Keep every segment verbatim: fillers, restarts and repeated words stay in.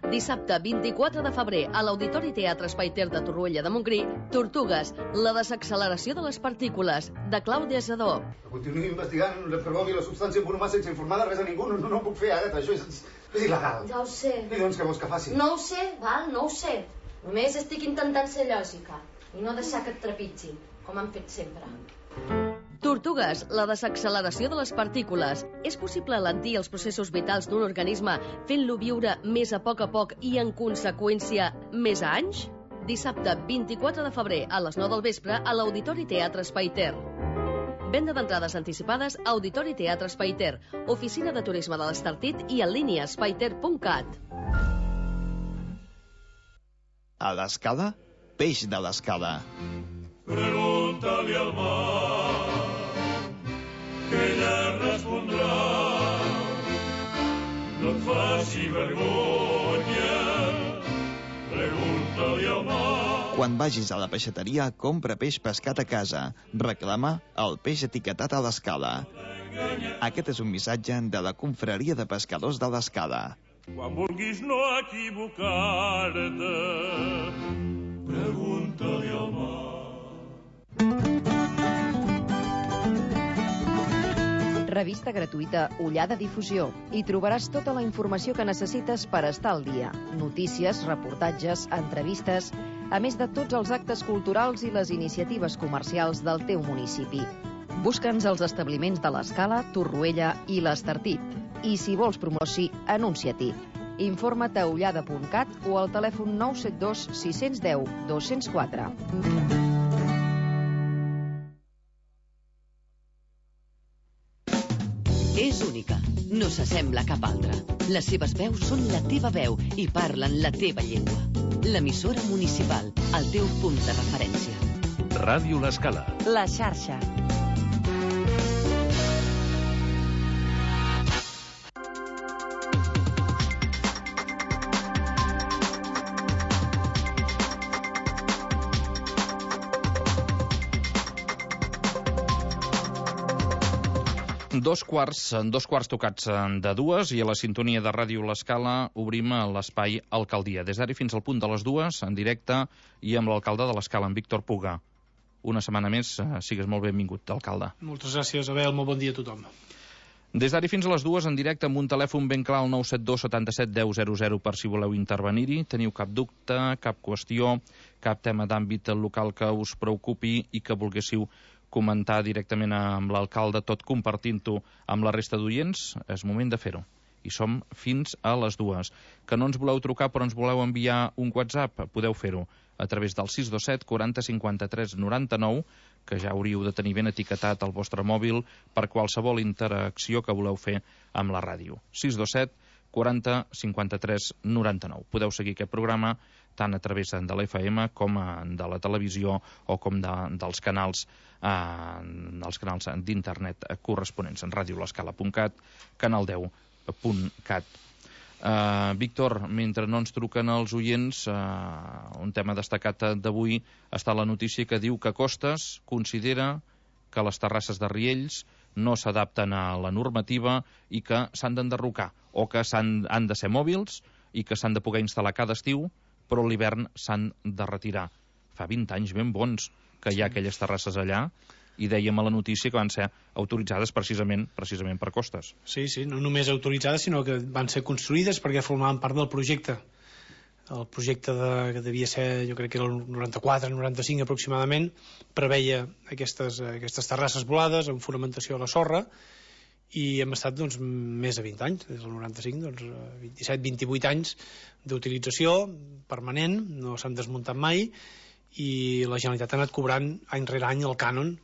Dissabte vint-i-quatre de febrer a l'Auditori Teatre Espai Ter de Torroella de Montgrí, Tortugues, la desacceleració de les partícules, de Clàudia Sedó. Continuï investigant, reprovi la substància en Bonamà sense informar de res a ningú. No, no, no ho puc fer, Àgata, això és, és il·legal. Ja ho sé. I doncs què vols que faci? No ho sé, val, no ho sé. Només estic intentant ser lògica i no deixar que et trepitgi, com han fet sempre. Tortugues, la desacceleració de les partícules. És possible alentir els processos vitals d'un organisme fent-lo viure més a poc a poc i, en conseqüència, més anys? Dissabte vint-i-quatre de febrer a les nou del vespre a l'Auditori Teatre Espai Ter. Venda d'entrades anticipades a Auditori Teatre Espai Ter, Oficina de Turisme de l'Estartit i en línia espaiter punt cat. A l'Escala, peix de l'Escala. Pregunta-li al mar, que ella respondrà. No et faci vergonya, pregunta-li al mar. Quan vagis a la peixateria, compra peix pescat a casa. Reclama el peix etiquetat a l'Escala. Aquest és un missatge de la Confraria de Pescadors de l'Escala. Quan vulguis no equivocar-te, pregunta-li al mar. Revista gratuïta Ullada Difusió. Hi trobaràs tota la informació que necessites per estar al dia. Notícies, reportatges, entrevistes, a més de tots els actes culturals i les iniciatives comercials del teu municipi. Busca'ns als establiments de l'Escala, Torroella i l'Estartit. I si vols promoci, anuncia-t'hi. Informa't a ullada punt cat o al telèfon nou set dos sis un zero dos zero quatre. És única, no s'assembla a cap altra. Les seves veus són la teva veu i parlen la teva llengua. L'emissora municipal, el teu punt de referència. Ràdio L'Escala. La xarxa. Dos quarts, dos quarts tocats de dues i a la sintonia de Ràdio L'Escala obrim l'espai Alcaldia. Des d'ara fins al punt de les dues, en directe i amb l'alcalde de l'Escala, en Víctor Puga. Una setmana més, sigues molt benvingut, alcalde. Moltes gràcies, Abel, molt bon dia a tothom. Des d'ara fins a les dues, en directe amb un telèfon ben clar, el nou set dos setanta-set deu zero zero, per si voleu intervenir-hi. Teniu cap dubte, cap qüestió, cap tema d'àmbit local que us preocupi i que volguéssiu comentar directament amb l'alcalde, tot compartint-ho amb la resta d'oients, és moment de fer-ho. I som fins a les dues. Que no ens voleu trucar però ens voleu enviar un WhatsApp, podeu fer-ho a través del sis dos set quaranta cinquanta-tres noranta-nou, que ja hauríeu de tenir ben etiquetat al vostre mòbil per qualsevol interacció que voleu fer amb la ràdio. sis dos set quaranta cinquanta-tres noranta-nou. Podeu seguir aquest programa tant a través de l'F M com de la televisió o com de, dels canals eh, dels canals d'internet corresponents en ràdio l'escala punt cat, canal deu punt cat. Uh, Víctor, mentre no ens truquen els oients, uh, un tema destacat d'avui està la notícia que diu que Costes considera que les terrasses de Riells no s'adapten a la normativa i que s'han d'enderrocar o que s'han, han de ser mòbils i que s'han de poder instal·lar cada estiu, però a l'hivern s'han de retirar. Fa vint anys ben bons que hi ha aquelles terrasses allà i dèiem a la notícia que van ser autoritzades precisament precisament per Costes. Sí, sí, no només autoritzades, sinó que van ser construïdes perquè formaven part del projecte. El projecte de, que devia ser, jo crec que era el noranta-quatre noranta-cinc aproximadament, preveia aquestes, aquestes terrasses volades amb fonamentació a la sorra i hem estat doncs, més de vint anys, des del noranta-cinc, doncs, vint-i-set vint-i-vuit anys d'utilització permanent, no s'han desmuntat mai i la Generalitat ha anat cobrant any rere any el cànon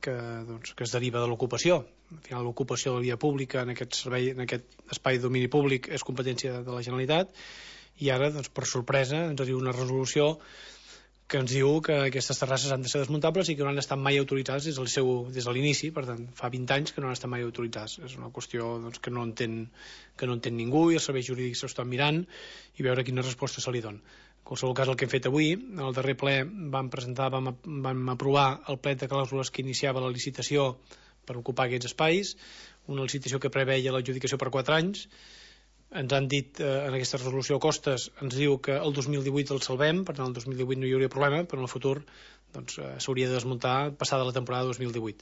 que, doncs, que es deriva de l'ocupació. Al final l'ocupació de la via pública en aquest, servei, en aquest espai de domini públic és competència de la Generalitat i ara, doncs, per sorpresa, ens arriba una resolució que ens diu que aquestes terrasses han de ser desmuntables i que no han estat mai autoritzades des, del seu, des de l'inici, per tant, fa vint anys que no han estat mai autoritzades. És una qüestió doncs, que, no entén, que no entén ningú i els serveis jurídics s'ho estan mirant i veure quina resposta se li dona. En qualsevol cas, el que hem fet avui, al darrer ple vam presentar, vam, vam aprovar el plet de clàusules que iniciava la licitació per ocupar aquests espais, una licitació que preveia l'adjudicació per quatre anys, ens han dit, eh, en aquesta resolució Costes, ens diu que el dos mil divuit el salvem, per tant el dos mil divuit no hi hauria problema, però en el futur doncs, eh, s'hauria de desmuntar passada la temporada dos mil divuit.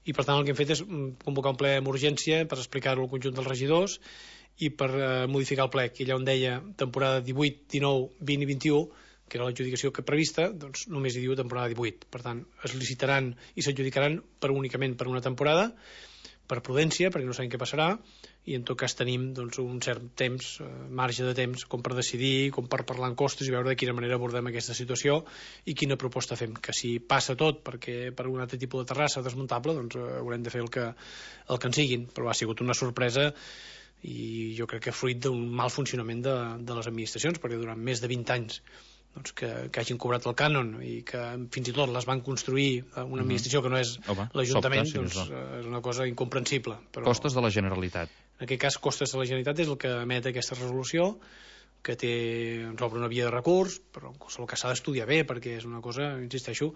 I per tant el que hem fet és convocar un ple amb urgència per explicar-ho al conjunt dels regidors i per eh, modificar el plec. I allà on deia temporada divuit, dinou, vint i vint-i-u, que era l'adjudicació que prevista, doncs només hi diu temporada divuit. Per tant, es licitaran i s'adjudicaran per únicament per una temporada, per prudència, perquè no sabem què passarà, i en tot cas tenim doncs, un cert temps, eh, marge de temps, com per decidir, com per parlar en costes i veure de quina manera abordem aquesta situació i quina proposta fem. Que si passa tot perquè per un altre tipus de terrassa desmuntable, doncs eh, haurem de fer el que, el que en siguin. Però ha sigut una sorpresa i jo crec que fruit d'un mal funcionament de, de les administracions, perquè durant més de vint anys doncs que, que hagin cobrat el cànon i que fins i tot les van construir una administració que no és l'Ajuntament, doncs és una cosa incomprensible. Però costes de la Generalitat. En aquest cas, Costes de la Generalitat és el que emet aquesta resolució, que té, ens obre una via de recurs, però en qualsevol cas s'ha d'estudiar bé, perquè és una cosa, insisteixo,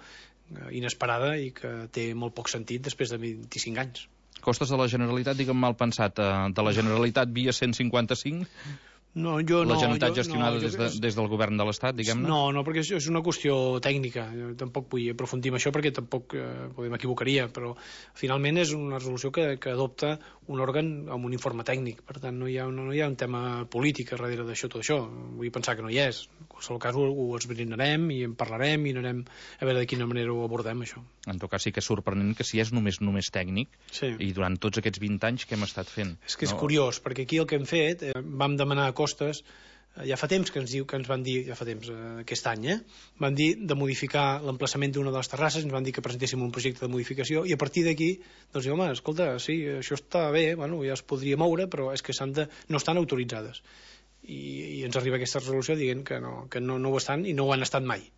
inesperada i que té molt poc sentit després de vint-i-cinc anys. Costes de la Generalitat, digue'm mal pensat, de la Generalitat via cent cinquanta-cinc... No, jo la no, Generalitat jo, gestionada no, des, de, des del govern de l'Estat, diguem-ne? No, no, perquè és, és una qüestió tècnica. Jo tampoc vull aprofundir en això perquè tampoc eh, m'equivocaria, però finalment és una resolució que, que adopta un òrgan amb un informe tècnic. Per tant, no hi ha, no, no hi ha un tema polític darrere d'això, tot això. Vull pensar que no hi és. En qualsevol cas ho, ho esbrinarem i en parlarem i anirem a veure de quina manera ho abordem, això. En tot cas sí que és sorprenent que si és només només tècnic, sí. I durant tots aquests vint anys què hem estat fent? És que és no? curiós, perquè aquí el que hem fet, eh, vam demanar a Costes, eh, ja fa temps que ens diu que ens van dir, ja fa temps, eh, aquest any, eh, van dir de modificar l'emplaçament d'una de les terrasses, ens van dir que presentéssim un projecte de modificació, i a partir d'aquí, doncs diu, home, escolta, sí, això està bé, bueno, ja es podria moure, però és que s'han de, no estan autoritzades. I, i ens arriba aquesta resolució dient que no, que no, no ho estan i no ho han estat mai.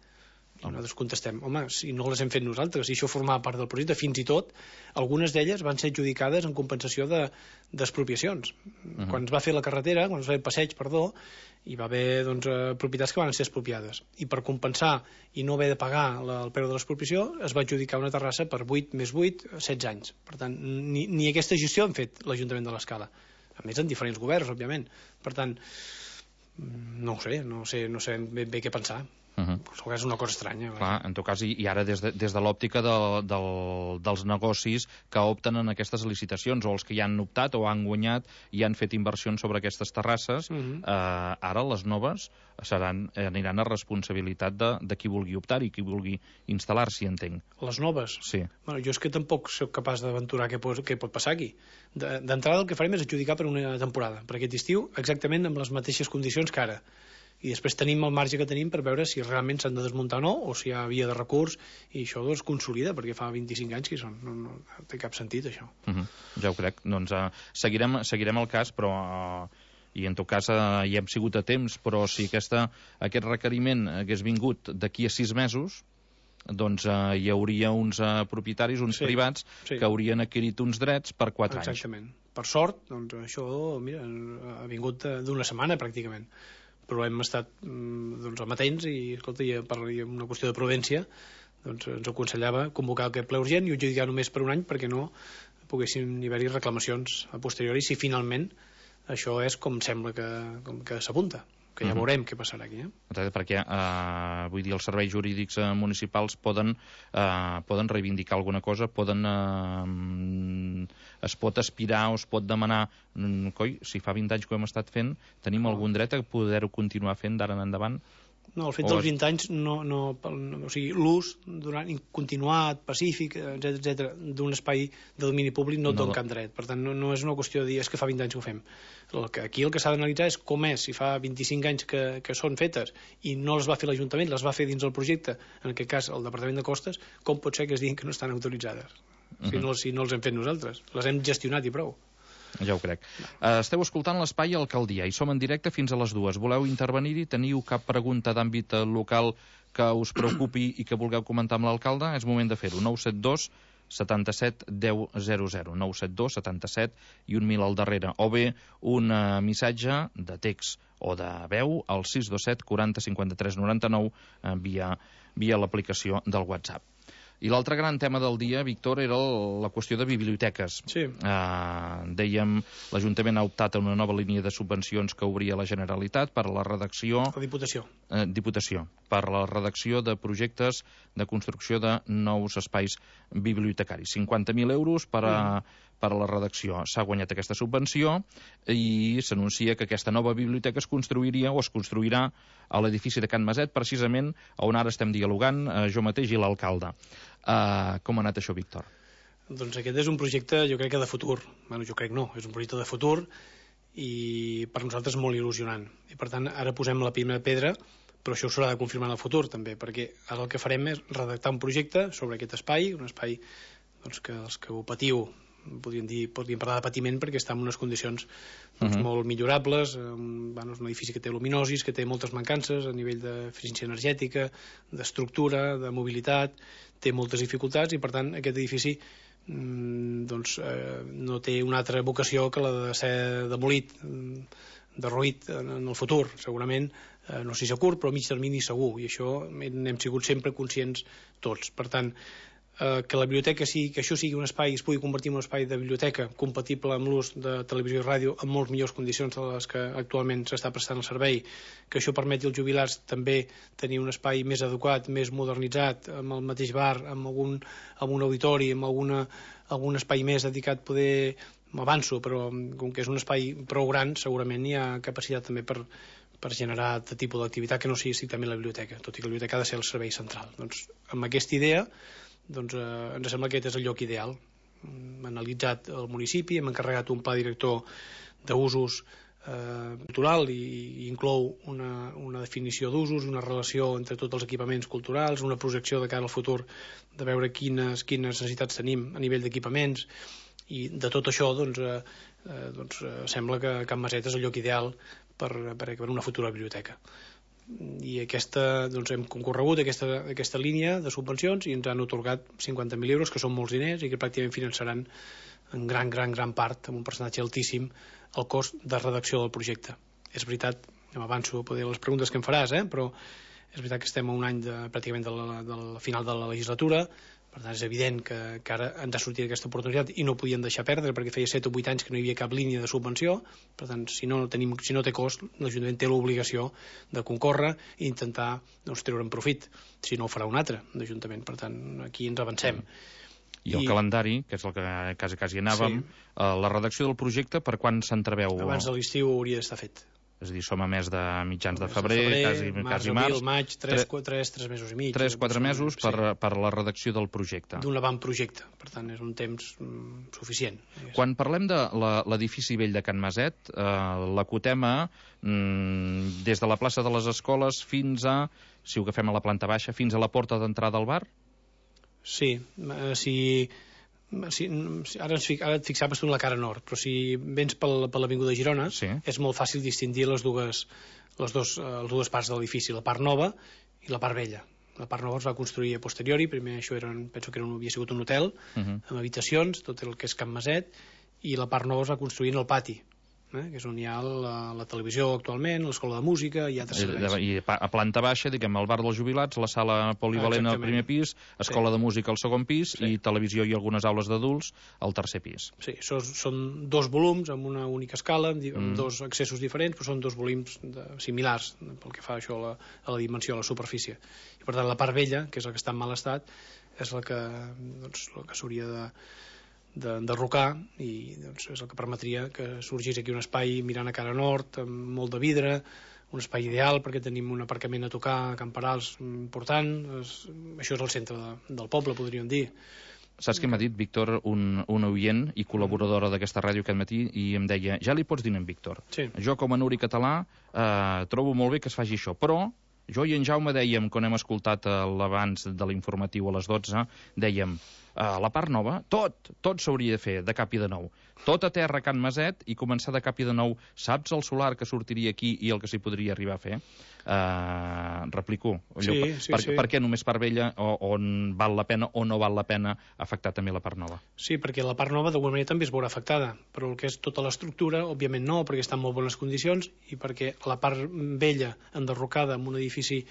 I nosaltres contestem, home, si no les hem fet nosaltres, si això formava part del projecte, fins i tot algunes d'elles van ser adjudicades en compensació d'expropiacions. De, uh-huh. Quan es va fer la carretera, quan es va fer el passeig, perdó, hi va haver doncs, propietats que van ser expropiades. I per compensar i no haver de pagar la, el preu de l'expropiació, es va adjudicar una terrassa per vuit més vuit, setze anys. Per tant, ni, ni aquesta gestió han fet l'Ajuntament de l'Escala. A més, en diferents governs, òbviament. Per tant, no ho sé, no sé, no sé ben bé què pensar. Uh-huh. És una cosa estranya. Clar, en tot cas, i, i ara des de, des de l'òptica de, de, dels negocis que opten en aquestes licitacions, o els que ja han optat o han guanyat i han fet inversions sobre aquestes terrasses, uh-huh. eh, ara les noves seran, aniran a responsabilitat de, de qui vulgui optar i qui vulgui instal·lar-s'hi, entenc. Les noves? Sí. Bueno, jo és que tampoc soc capaç d'aventurar què, què pot passar aquí. D'entrada el que farem és adjudicar per una temporada, per aquest estiu, exactament amb les mateixes condicions que ara. I després tenim el marge que tenim per veure si realment s'han de desmuntar o no, o si hi ha via de recurs, i això es consolida, perquè fa vint-i-cinc anys que hi són. No, no, no té cap sentit, això. Uh-huh. Ja ho crec. Doncs uh, seguirem, seguirem el cas, però... Uh, i en tot cas uh, hi hem sigut a temps, però si aquesta, aquest requeriment hagués vingut d'aquí a sis mesos, doncs uh, hi hauria uns uh, propietaris, uns sí, privats, sí. que haurien adquirit uns drets per quatre Exactament. anys. Exactament. Per sort, doncs això mira, ha vingut d'una setmana, pràcticament. Però hem estat doncs, amatents i, escolta, i per una qüestió de prudència doncs, ens aconsellava convocar aquest ple urgent i adjudicar només per un any perquè no poguessin haver-hi reclamacions a posteriori si finalment això és com sembla que, com que s'apunta, que ja veurem què passarà aquí. Eh? Perquè, eh, vull dir, els serveis jurídics eh, municipals poden, eh, poden reivindicar alguna cosa, poden, eh, es pot aspirar o es pot demanar, mm, coi, si fa vint anys que ho hem estat fent, tenim no. algun dret a poder-ho continuar fent d'ara en endavant? No, el fet dels vint anys, no, no, no, o sigui, l'ús durant continuat, pacífic, etcètera, etcètera, d'un espai de domini públic no et dona cap dret. Per tant, no, no és una qüestió de dir és que fa vint anys que ho fem. El que, aquí el que s'ha d'analitzar és com és, si fa vint-i-cinc anys que, que són fetes i no les va fer l'Ajuntament, les va fer dins el projecte, en aquest cas el Departament de Costes, com pot ser que es diguin que no estan autoritzades? Uh-huh. Si no, si no els hem fet nosaltres. Les hem gestionat i prou. Ja ho crec. Uh, esteu escoltant l'Espai Alcaldia i som en directe fins a les dues. Voleu intervenir-hi? Teniu cap pregunta d'àmbit local que us preocupi i que vulgueu comentar amb l'alcalde? És moment de fer-ho. nou set dos setanta-set deu zero zero. nou set dos setanta-set i un mil al darrere. O bé un uh, missatge de text o de veu al sis dos set quaranta cinquanta-tres noranta-nou uh, via, via l'aplicació del WhatsApp. I l'altre gran tema del dia, Víctor, era la qüestió de biblioteques. Sí. Uh, dèiem, l'Ajuntament ha optat a una nova línia de subvencions que obria la Generalitat per a la redacció... La Diputació. Uh, Diputació. Per a la redacció de projectes de construcció de nous espais bibliotecaris. cinquanta mil euros per a, mm. per a la redacció. S'ha guanyat aquesta subvenció i s'anuncia que aquesta nova biblioteca es construiria o es construirà a l'edifici de Can Maset, precisament on ara estem dialogant, uh, jo mateix i l'alcalde. Uh, com ha anat això, Víctor? Doncs aquest és un projecte, jo crec que de futur. Bueno, jo crec no, és un projecte de futur i per nosaltres molt il·lusionant. I per tant, ara posem la primera pedra, però això s'haurà de confirmar en el futur també, perquè ara el que farem és redactar un projecte sobre aquest espai, un espai doncs, que els que ho patiu podríem dir, podríem parlar de patiment perquè està en unes condicions doncs, uh-huh. molt millorables, um, bueno, és un edifici que té luminosis, que té moltes mancances a nivell d'eficiència energètica, d'estructura, de mobilitat, té moltes dificultats i per tant aquest edifici mm, doncs, eh, no té una altra vocació que la de ser demolit, derruït en, en el futur, segurament, eh, no sé si a curt, però a mig termini segur, i això n'hem sigut sempre conscients tots. Per tant, eh, que la biblioteca sigui, que això sigui un espai, es pugui convertir en un espai de biblioteca compatible amb l'ús de televisió i ràdio en molt millors condicions de les que actualment s'està prestant el servei, que això permeti als jubilats també tenir un espai més adequat, més modernitzat, amb el mateix bar, amb algun, amb un auditori, amb alguna, algun espai més dedicat, poder, m'avanço, però com que és un espai prou gran, segurament hi ha capacitat també per, per generar de tipus d'activitat que no sigui estrictament la biblioteca, tot i que la biblioteca ha de ser el servei central. Doncs amb aquesta idea doncs, eh, ens sembla que aquest és el lloc ideal. Hem analitzat el municipi, hem encarregat un pla director d'usos eh, cultural i, i inclou una, una definició d'usos, una relació entre tots els equipaments culturals, una projecció de cara al futur de veure quines, quines necessitats tenim a nivell d'equipaments, i de tot això doncs, eh, eh, doncs, eh, sembla que Can Maset és el lloc ideal per, per, per una futura biblioteca. I aquesta, doncs, hem concorregut aquesta, aquesta línia de subvencions i ens han atorgat cinquanta mil euros, que són molts diners i que pràcticament finançaran en gran, gran, gran part, amb un percentatge altíssim, el cost de redacció del projecte. És veritat, m'avanço a poder les preguntes que em faràs, eh? Però és veritat que estem a un any de, pràcticament de la, del final de la legislatura. Per tant, és evident que, que ara ens ha sortit aquesta oportunitat i no podien deixar perdre perquè feia set o vuit anys que no hi havia cap línia de subvenció. Per tant, si no, tenim, si no té cost, l'Ajuntament té l'obligació de concórrer i intentar doncs, treure'n profit. Si no, ho farà un altre l'Ajuntament. Per tant, aquí ens avancem. I el I... calendari, que és el que quasi, quasi anàvem, sí. eh, la redacció del projecte, per quan s'entreveu? Abans de l'estiu hauria d'estar fet. És a dir, som a mes de mitjans de febrer, de febrer quasi, març, quasi març. Abril, maig, tres, tres, tres mesos i mig. tres quatre mesos per, sí. per la redacció del projecte. D'un avantprojecte, per tant, és un temps mm, suficient. Quan parlem de l'edifici vell de Can Maset, eh, l'acotem a, mm, des de la plaça de les Escoles fins a, si ho agafem a la planta baixa, fins a la porta d'entrada al bar? Sí, eh, si... Si, ara, ens, ara et fixaves tu en la cara nord, però si vens per, per l'Avinguda Girona, sí. És molt fàcil distingir les dues, les, dos, les dues parts de l'edifici, la part nova i la part vella. La part nova es va construir a posteriori, primer això era, penso que era un, havia sigut un hotel, uh -huh. amb habitacions, tot el que és Can Maset, i la part nova es va construir en el pati, eh, que és on hi ha la, la televisió actualment, l'escola de música i altres serveis. I a planta baixa, diguem, el bar dels jubilats, la sala polivalent ah, al primer pis, escola sí. de música al segon pis sí. i televisió i algunes aules d'adults al tercer pis. Sí, això són dos volums amb una única escala, amb mm. dos accessos diferents, però són dos volums de, similars pel que fa això a la, a la dimensió, a la superfície. I per tant la part vella, que és la que està en mal estat, és la que, doncs, la que s'hauria de d'enderrocar i doncs, és el que permetria que sorgís aquí un espai mirant a cara nord amb molt de vidre, un espai ideal perquè tenim un aparcament a tocar a Camperals important, és, això és el centre de, del poble, podríem dir. Saps què m'ha dit, Víctor, un, un oient i col·laboradora d'aquesta ràdio aquest matí, i em deia, ja li pots dir en Víctor, sí. Jo com a Nuri català eh, trobo molt bé que es faci això, però jo i en Jaume dèiem, quan hem escoltat l'abans de l'informatiu a les dotze, dèiem, a la part nova, tot, tot s'hauria de fer de cap i de nou. Tot a terra a Can Maset i començar de cap i de nou. Saps el solar que sortiria aquí i el que s'hi podria arribar a fer? Uh, replico. Sí, allò, sí, per, sí. per què només part vella o, on val la pena o no val la pena afectar també la part nova? Sí, perquè la part nova d'alguna manera també es veurà afectada, però el que és tota l'estructura, òbviament no, perquè està en molt bones condicions i perquè la part vella enderrocada en un edifici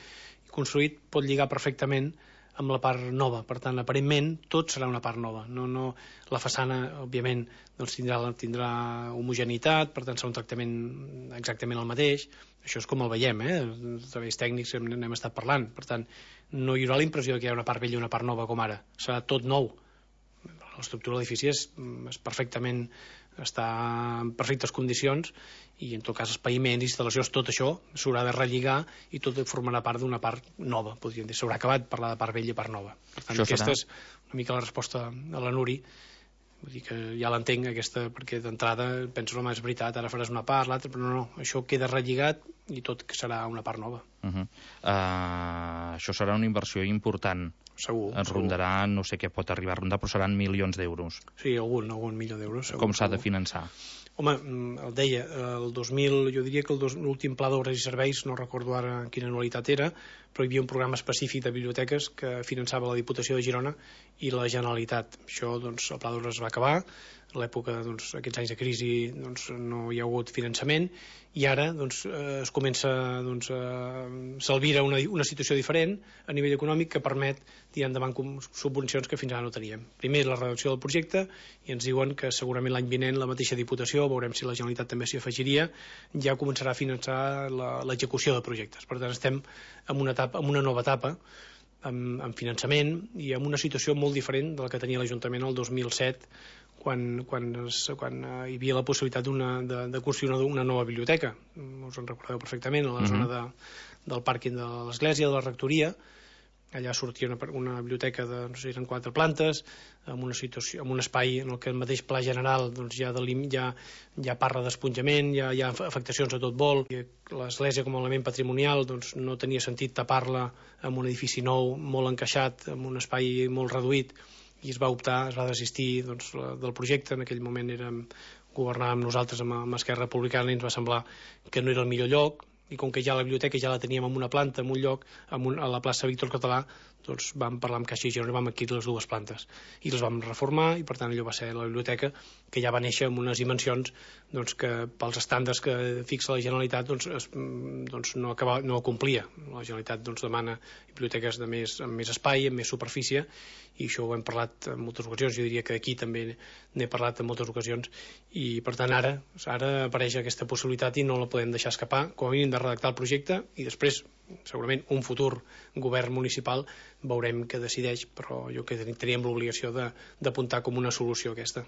construït pot lligar perfectament amb la part nova. Per tant, aparentment, tot serà una part nova. No, no, la façana, òbviament, doncs tindrà, tindrà homogeneïtat, per tant, serà un tractament exactament el mateix. Això és com el veiem, eh? Els treballs tècnics n'hem estat parlant. Per tant, no hi haurà la impressió que hi ha una part vella i una part nova com ara. Serà tot nou. L'estructura de l'edifici és, és perfectament, està en perfectes condicions i en tot cas els paviments, instal·lacions, tot això s'haurà de relligar i tot formarà part d'una part nova, podríem dir. S'haurà acabat parlar de part vella i part nova. Per tant, això aquesta serà... és una mica la resposta a la Nuri. Vull dir que ja l'entenc, aquesta, perquè d'entrada penso, home, és veritat, ara faràs una part, l'altra, però no, no, això queda relligat i tot serà una part nova. Uh -huh. uh, això serà una inversió important. Segur. Ens segur. rondarà, no sé què pot arribar a rondar, però seran milions d'euros. Sí, algun, algun milió d'euros. Com s'ha de finançar? Home, el deia, el dos mil, jo diria que l'últim pla d'obres i serveis, no recordo ara quina anualitat era, però hi havia un programa específic de biblioteques que finançava la Diputació de Girona i la Generalitat. Això, doncs, el pla d'obres es va acabar, a l'època, doncs, aquests anys de crisi, doncs, no hi ha hagut finançament, i ara, doncs, eh, es comença, doncs, a s'alvira una, una situació diferent a nivell econòmic que permet tirar endavant subvencions que fins ara no teníem. Primer, la redacció del projecte, i ens diuen que segurament l'any vinent la mateixa Diputació, veurem si la Generalitat també s'hi afegiria, ja començarà a finançar l'execució de projectes. Per tant, estem en una, etapa, en una nova etapa, amb, amb finançament i amb una situació molt diferent de la que tenia l'Ajuntament el dos mil set, quan, quan, es, quan hi havia la possibilitat de, de construir una, una nova biblioteca. Us en recordeu perfectament, a la uh-huh. zona de, del pàrquing de l'Església, de la Rectoria. Allà sortia una, una biblioteca de, no sé, eren quatre plantes, amb una situació, amb un espai en el que el mateix pla general doncs, ja, de ja, ja parla d'esponjament, ja hi ha afectacions a tot vol. L'església com a element patrimonial doncs, no tenia sentit tapar-la amb un edifici nou, molt encaixat, amb un espai molt reduït, i es va optar, es va desistir doncs, del projecte. En aquell moment érem, governàvem nosaltres amb, amb Esquerra Republicana i ens va semblar que no era el millor lloc, i com que ja la biblioteca ja la teníem en una planta, en un lloc, en un, a la plaça Víctor Català, doncs vam parlar amb Caixa i Girona i vam adquirir les dues plantes. I les vam reformar i, per tant, allò va ser la biblioteca que ja va néixer amb unes dimensions doncs, que pels estàndards que fixa la Generalitat doncs, es, doncs no, acaba, no complia. La Generalitat doncs, demana biblioteques de més, amb més espai, amb més superfície, i això ho hem parlat en moltes ocasions. Jo diria que aquí també n'he parlat en moltes ocasions, i per tant ara, ara apareix aquesta possibilitat i no la podem deixar escapar, com a mínim de redactar el projecte, i després segurament un futur govern municipal veurem què decideix, però jo crec que teníem l'obligació d'apuntar com una solució aquesta.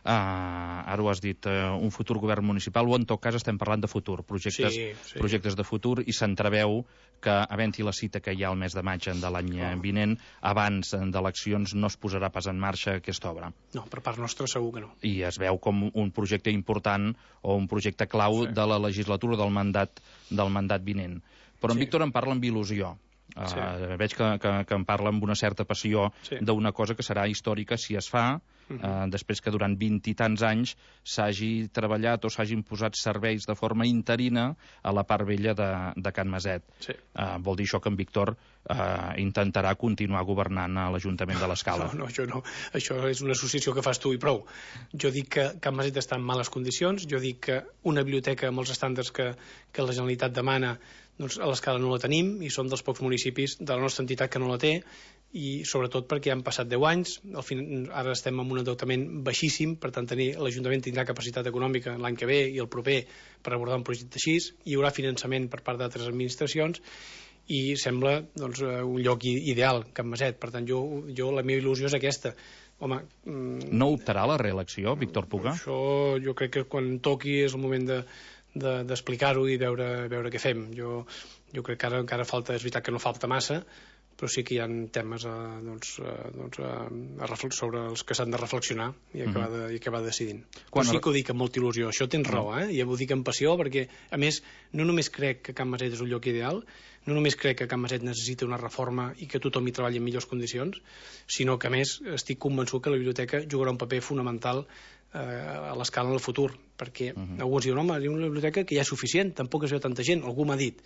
Uh, ara ho has dit, uh, un futur govern municipal, o en tot cas estem parlant de futur, projectes, sí, sí. projectes de futur, i s'entreveu que, havent-hi la cita que hi ha el mes de maig de l'any oh. vinent, abans d'eleccions no es posarà pas en marxa aquesta obra. No, per part nostra segur que no. I es veu com un projecte important o un projecte clau sí. de la legislatura del mandat, del mandat vinent. Però en sí. Víctor en parla amb il·lusió. Sí. Uh, veig que, que, que en parla amb una certa passió sí. d'una cosa que serà històrica si es fa, uh -huh. uh, després que durant vint i tants anys s'hagi treballat o s'hagin posat serveis de forma interina a la part vella de, de Can Maset. Sí. Uh, vol dir això que en Víctor uh, intentarà continuar governant a l'Ajuntament de l'Escala. No, no, això no. Això és una associació que fas tu i prou. Jo dic que Can Maset està en males condicions, jo dic que una biblioteca amb els estàndards que, que la Generalitat demana doncs a l'Escala no la tenim, i som dels pocs municipis de la nostra entitat que no la té, i sobretot perquè han passat deu anys, al fin, ara estem en un endeutament baixíssim, per tant l'Ajuntament tindrà capacitat econòmica l'any que ve i el proper per abordar un projecte així, hi haurà finançament per part d'altres administracions, i sembla doncs, un lloc ideal, Can Maset. Per tant, jo, jo la meva il·lusió és aquesta. Home, mm, no optarà a la reelecció, Víctor Puga? Això jo crec que quan toqui és el moment de d'explicar-ho i veure, veure què fem. Jo, jo crec que ara encara falta, és veritat que no falta massa, però sí que hi ha temes a, doncs, a, doncs a, a sobre els que s'han de reflexionar i acabar, de, i acabar decidint. Quan... Però sí que ho dic amb molta il·lusió, això tens raó, eh? I ho dic amb passió, perquè, a més, no només crec que Can Maset és un lloc ideal, no només crec que Can Maset necessita una reforma i que tothom hi treballi en millors condicions, sinó que, a més, estic convençut que la biblioteca jugarà un paper fonamental a l'Escala en el futur, perquè uh -huh. alguns diuen, home, hi ha una biblioteca que ja és suficient, tampoc es veu tanta gent, algú m'ha dit,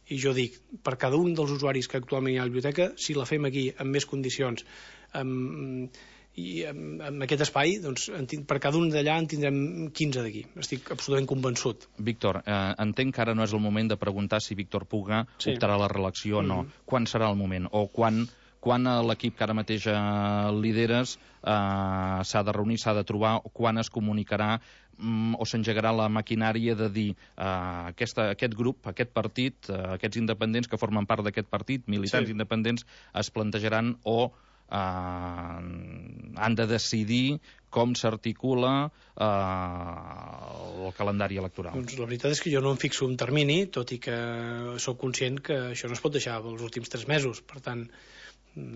i jo dic, per cada un dels usuaris que actualment hi ha a la biblioteca, si la fem aquí amb més condicions, amb, i amb, amb aquest espai, doncs per cada un d'allà en tindrem quinze d'aquí, estic absolutament convençut. Víctor, eh, entenc que ara no és el moment de preguntar si Víctor Puga sí. optarà a la reelecció o no. Uh -huh. Quan serà el moment, o quan quan l'equip que ara mateix eh, lideres eh, s'ha de reunir, s'ha de trobar, quan es comunicarà mm, o s'engegarà la maquinària de dir eh, aquesta, aquest grup, aquest partit, eh, aquests independents que formen part d'aquest partit, militants sí. independents, es plantejaran o eh, han de decidir com s'articula eh, el calendari electoral. Doncs la veritat és que jo no em fixo un termini, tot i que sóc conscient que això no es pot deixar els últims tres mesos, per tant...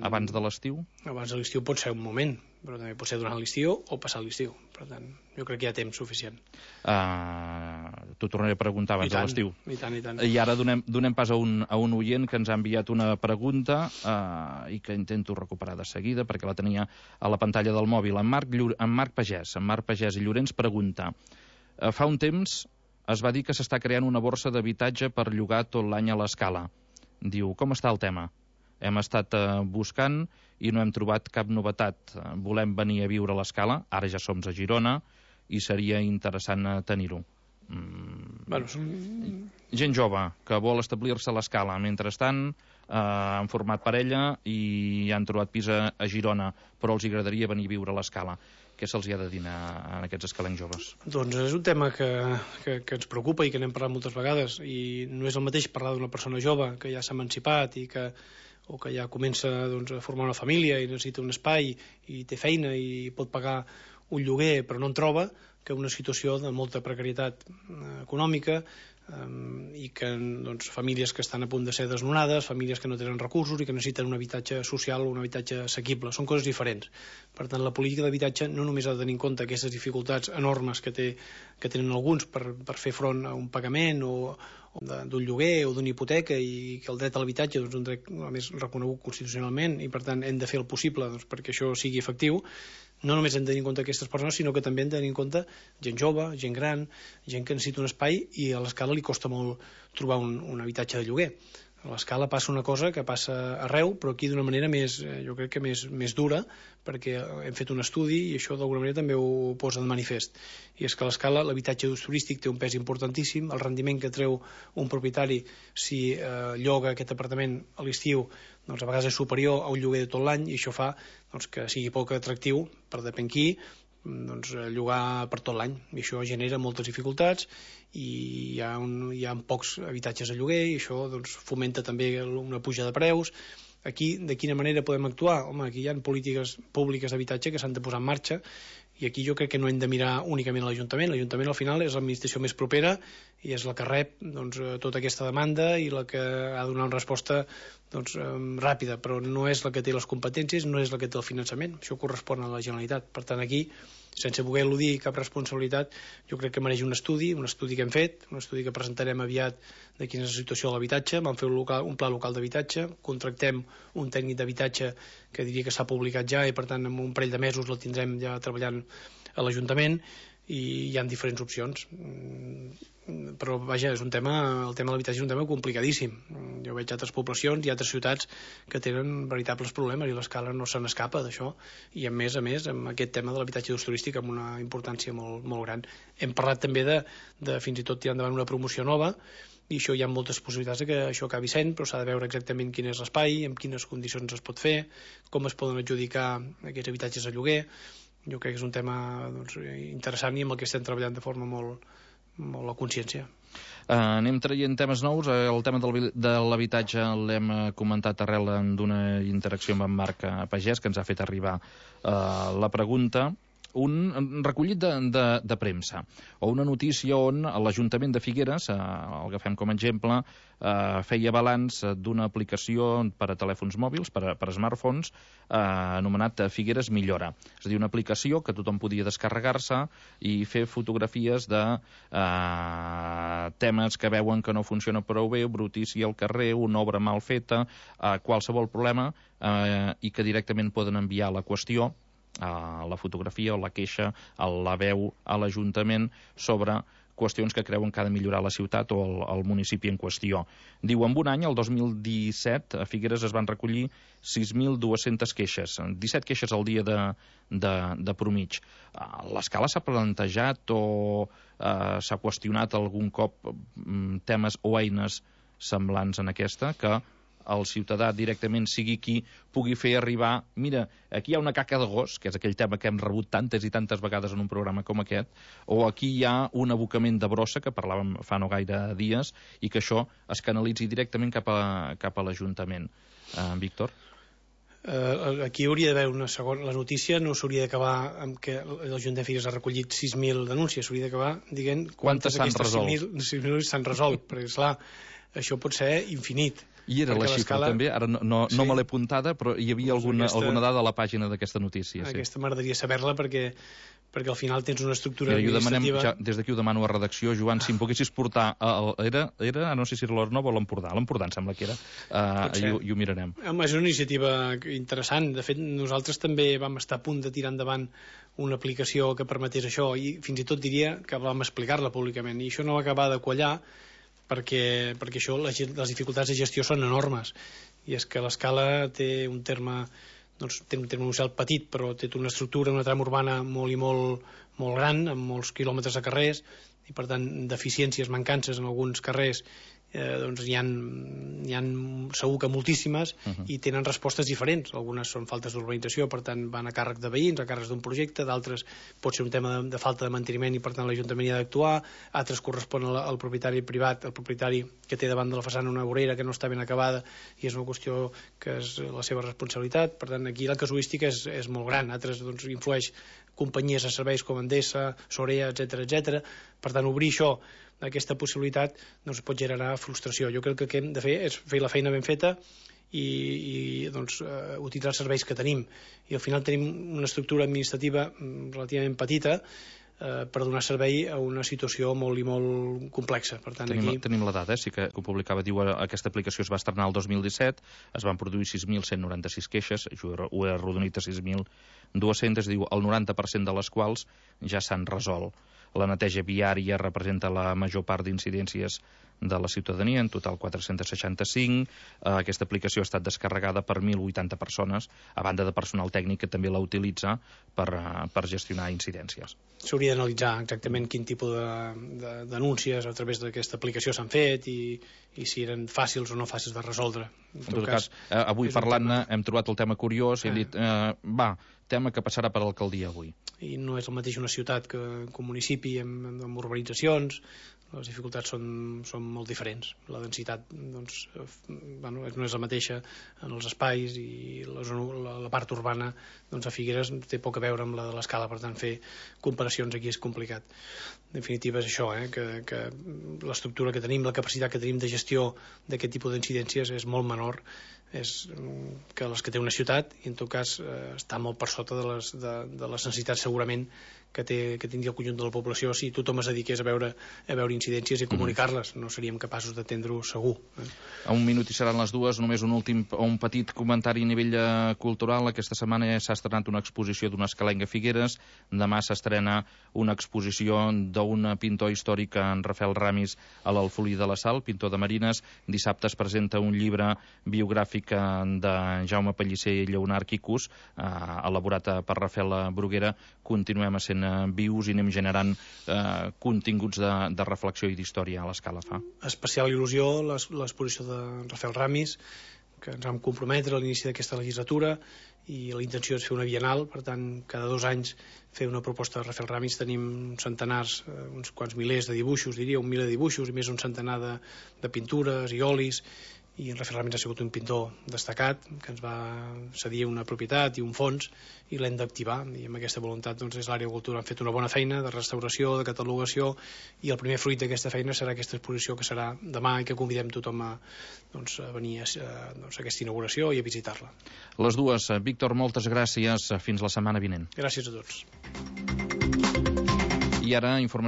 Abans de l'estiu? Abans de l'estiu pot ser un moment, però també pot ser durant l'estiu o passar l'estiu. Per tant, jo crec que hi ha temps suficient. Uh, T'ho tornaré a preguntar abans de l'estiu. I tant, i tant. I ara donem, donem pas a un, a un oient que ens ha enviat una pregunta uh, i que intento recuperar de seguida perquè la tenia a la pantalla del mòbil. En Marc, Llur... en Marc Pagès, en Marc Pagès i Llorenç pregunta: uh, fa un temps es va dir que s'està creant una borsa d'habitatge per llogar tot l'any a l'Escala. Diu, com està el tema? Hem estat eh, buscant i no hem trobat cap novetat. Volem venir a viure a l'Escala, ara ja som a Girona, i seria interessant tenir-ho. Mm. Bueno, som... Gent jove que vol establir-se a l'Escala. Mentrestant, eh, han format parella i han trobat pis a, a Girona, però els agradaria venir a viure a l'Escala. Què se'ls ha de dir a, a aquests escalencs joves? Doncs és un tema que, que, que ens preocupa i que n'hem parlat moltes vegades, i no és el mateix parlar d'una persona jove que ja s'ha emancipat i que o que ja comença doncs, a formar una família i necessita un espai i té feina i pot pagar un lloguer però no en troba, que una situació de molta precarietat eh, econòmica eh, i que doncs, famílies que estan a punt de ser desnonades, famílies que no tenen recursos i que necessiten un habitatge social o un habitatge assequible. Són coses diferents. Per tant, la política d'habitatge no només ha de tenir en compte aquestes dificultats enormes que, té, que tenen alguns per, per fer front a un pagament o d'un lloguer o d'una hipoteca, i que el dret a l'habitatge doncs, és un dret a més reconegut constitucionalment i per tant hem de fer el possible doncs, perquè això sigui efectiu. No només hem de tenir en compte aquestes persones, sinó que també hem de tenir en compte gent jove, gent gran, gent que necessita un espai i a l'Escala li costa molt trobar un, un habitatge de lloguer. A l'Escala passa una cosa que passa arreu, però aquí d'una manera més, jo crec que més, més dura, perquè hem fet un estudi i això d'alguna manera també ho posa de manifest. I és que a l'Escala l'habitatge d'ús turístic té un pes importantíssim, el rendiment que treu un propietari si eh, lloga aquest apartament a l'estiu doncs a vegades és superior a un lloguer de tot l'any, i això fa doncs, que sigui poc atractiu per depèn qui doncs, llogar per tot l'any, i això genera moltes dificultats i hi ha, un, hi ha pocs habitatges a lloguer i això doncs, fomenta també una puja de preus. Aquí, de quina manera podem actuar? Home, aquí hi ha polítiques públiques d'habitatge que s'han de posar en marxa, i aquí jo crec que no hem de mirar únicament a l'Ajuntament. L'Ajuntament al final és l'administració més propera i és la que rep doncs, tota aquesta demanda i la que ha de donar una resposta doncs, ràpida, però no és la que té les competències, no és la que té el finançament. Això correspon a la Generalitat. Per tant, aquí, sense voler eludir cap responsabilitat, jo crec que mereix un estudi, un estudi que hem fet, un estudi que presentarem aviat de quina és la situació de l'habitatge. Vam fer un, local, un pla local d'habitatge, contractem un tècnic d'habitatge que diria que s'ha publicat ja i per tant en un parell de mesos el tindrem ja treballant a l'Ajuntament, i hi ha diferents opcions. Però vaja, és un tema, el tema de l'habitatge és un tema complicadíssim. Jo veig altres poblacions i altres ciutats que tenen veritables problemes i l'Escala no se n'escapa d'això, i a més a més amb aquest tema de l'habitatge d'ús turístic amb una importància molt, molt gran. Hem parlat també de, de fins i tot tirar endavant una promoció nova, i això hi ha moltes possibilitats de que això acabi sent, però s'ha de veure exactament quin és l'espai, en quines condicions es pot fer, com es poden adjudicar aquests habitatges a lloguer. Jo crec que és un tema doncs, interessant i amb el que estem treballant de forma molt, molt a consciència. Uh, anem traient temes nous. El tema del, de l'habitatge l'hem comentat arrel d'una interacció amb en Marc Pagès, que ens ha fet arribar uh, la pregunta. Un recollit de, de, de premsa o una notícia on l'Ajuntament de Figueres, eh, el agafem com a exemple, eh, feia balanç d'una aplicació per a telèfons mòbils, per a, per a smartphones, eh, anomenat Figueres Millora. És a dir, una aplicació que tothom podia descarregar-se i fer fotografies de eh, temes que veuen que no funciona prou bé, brutícia al carrer, una obra mal feta, eh, qualsevol problema, eh, i que directament poden enviar la qüestió, a la fotografia o la queixa, a la veu a l'Ajuntament sobre qüestions que creuen que ha de millorar la ciutat o el, el municipi en qüestió. Diu, en un any, el dos mil disset, a Figueres es van recollir sis mil dues-centes queixes, disset queixes al dia de, de, de promig. L'Escala s'ha plantejat o eh, s'ha qüestionat algun cop temes o eines semblants en aquesta que el ciutadà directament sigui qui pugui fer arribar, mira, aquí hi ha una caca de gos, que és aquell tema que hem rebut tantes i tantes vegades en un programa com aquest, o aquí hi ha un abocament de brossa, que parlàvem fa no gaire dies, i que això es canalitzi directament cap a, cap a l'Ajuntament. Uh, Víctor? Uh, aquí hauria d'haver una segona... La notícia no s'hauria d'acabar amb que l'Ajuntament de Figueres ha recollit sis mil denúncies, s'hauria d'acabar dient quantes s'han resolt. sis mil s'han resolt, perquè, esclar, això pot ser infinit. I era la xifra també, ara no, no, sí. no me l'he apuntada, però hi havia doncs alguna, aquesta, alguna dada a la pàgina d'aquesta notícia. Aquesta sí. m'agradaria saber-la perquè perquè al final tens una estructura Mira, administrativa... Demanem, ja, des d'aquí ho demano a redacció, Joan, si em poguessis portar... El, era, era, no sé si era l'Ornova o l'Empordà, l'Empordà em sembla que era, uh, i, ho, i ho mirarem. És una iniciativa interessant. De fet, nosaltres també vam estar a punt de tirar endavant una aplicació que permetés això, i fins i tot diria que vam explicar-la públicament, i això no va acabar de quallar perquè, perquè això, les, les dificultats de gestió són enormes, i és que l'escala té un terme... doncs té un terme municipal petit, però té una estructura, una trama urbana molt i molt, molt gran, amb molts quilòmetres de carrers, i per tant deficiències, mancances en alguns carrers, eh, doncs hi ha, hi ha segur que moltíssimes, uh -huh. i tenen respostes diferents. Algunes són faltes d'urbanització, per tant van a càrrec de veïns, a càrrec d'un projecte, d'altres pot ser un tema de, de falta de manteniment i per tant l'Ajuntament hi ha d'actuar, altres corresponen al, al propietari privat, al propietari que té davant de la façana una vorera que no està ben acabada i és una qüestió que és la seva responsabilitat. Per tant, aquí la casuística és, és molt gran. Altres doncs, influeix companyies de serveis com Endesa, Sorea, etcètera, etcètera. Per tant, obrir això, aquesta possibilitat, doncs pot generar frustració. Jo crec que el que hem de fer és fer la feina ben feta i, i doncs, uh, utilitzar els serveis que tenim. I al final tenim una estructura administrativa relativament petita uh, per donar servei a una situació molt i molt complexa. Per tant, tenim, aquí... tenim la dada, eh? Sí que, que ho publicava, diu, aquesta aplicació es va estrenar el dos mil disset, es van produir sis mil cent noranta-sis queixes, jo ho he arrodonit a sis mil dues-centes, diu, el noranta per cent de les quals ja s'han resolt. La neteja viària representa la major part d'incidències de la ciutadania, en total quatre-cents seixanta-cinc. Eh, aquesta aplicació ha estat descarregada per mil vuitanta persones, a banda de personal tècnic que també la utilitza per, uh, per gestionar incidències. S'hauria d'analitzar exactament quin tipus de, de denúncies a través d'aquesta aplicació s'han fet i, i si eren fàcils o no fàcils de resoldre. En, en tot, tot cas, cas eh, avui parlant-ne hem trobat el tema curiós i he dit, eh, va, tema que passarà per l'alcaldia avui. I no és el mateix una ciutat que un municipi amb, amb urbanitzacions, les dificultats són, són molt diferents. La densitat doncs, bueno, no és la mateixa en els espais i la, la, la part urbana doncs, a Figueres té poc a veure amb la de l'Escala, per tant fer comparacions aquí és complicat. En definitiva és això, eh, que, que l'estructura que tenim, la capacitat que tenim de gestió d'aquest tipus d'incidències és molt menor és que les que té una ciutat i en tot cas eh, està molt per sota de les, de, de les necessitats segurament que, té, que tindria el conjunt de la població si tothom es dediqués a veure, a veure incidències i comunicar-les, no seríem capaços d'atendre-ho segur. Eh? A un minut i seran les dues, només un últim un petit comentari a nivell eh, cultural. Aquesta setmana s'ha estrenat una exposició d'una escalenga a Figueres, demà s'estrena una exposició d'un pintor històric, en Rafael Ramis, a l'Alfolí de la Sal, pintor de marines. Dissabte es presenta un llibre biogràfic de Jaume Pellicer i Lleonard Quicus, eh, elaborat per Rafael Bruguera. Continuem sent vius i anem generant eh, continguts de, de reflexió i d'història a l'Escala fa. Especial il·lusió l'exposició de Rafael Ramis, que ens vam comprometre a l'inici d'aquesta legislatura i la intenció és fer una bienal, per tant cada dos anys fer una proposta de Rafael Ramis. Tenim centenars, uns quants milers de dibuixos, diria un miler de dibuixos i més un centenar de, de pintures i olis, i en Rafael Ramis ha sigut un pintor destacat que ens va cedir una propietat i un fons i l'hem d'activar, i amb aquesta voluntat doncs, és l'àrea de cultura. Han fet una bona feina de restauració, de catalogació, i el primer fruit d'aquesta feina serà aquesta exposició que serà demà i que convidem tothom a, doncs, a venir a, doncs, a aquesta inauguració i a visitar-la. Les dues. Víctor, moltes gràcies. Fins la setmana vinent. Gràcies a tots. I ara, informació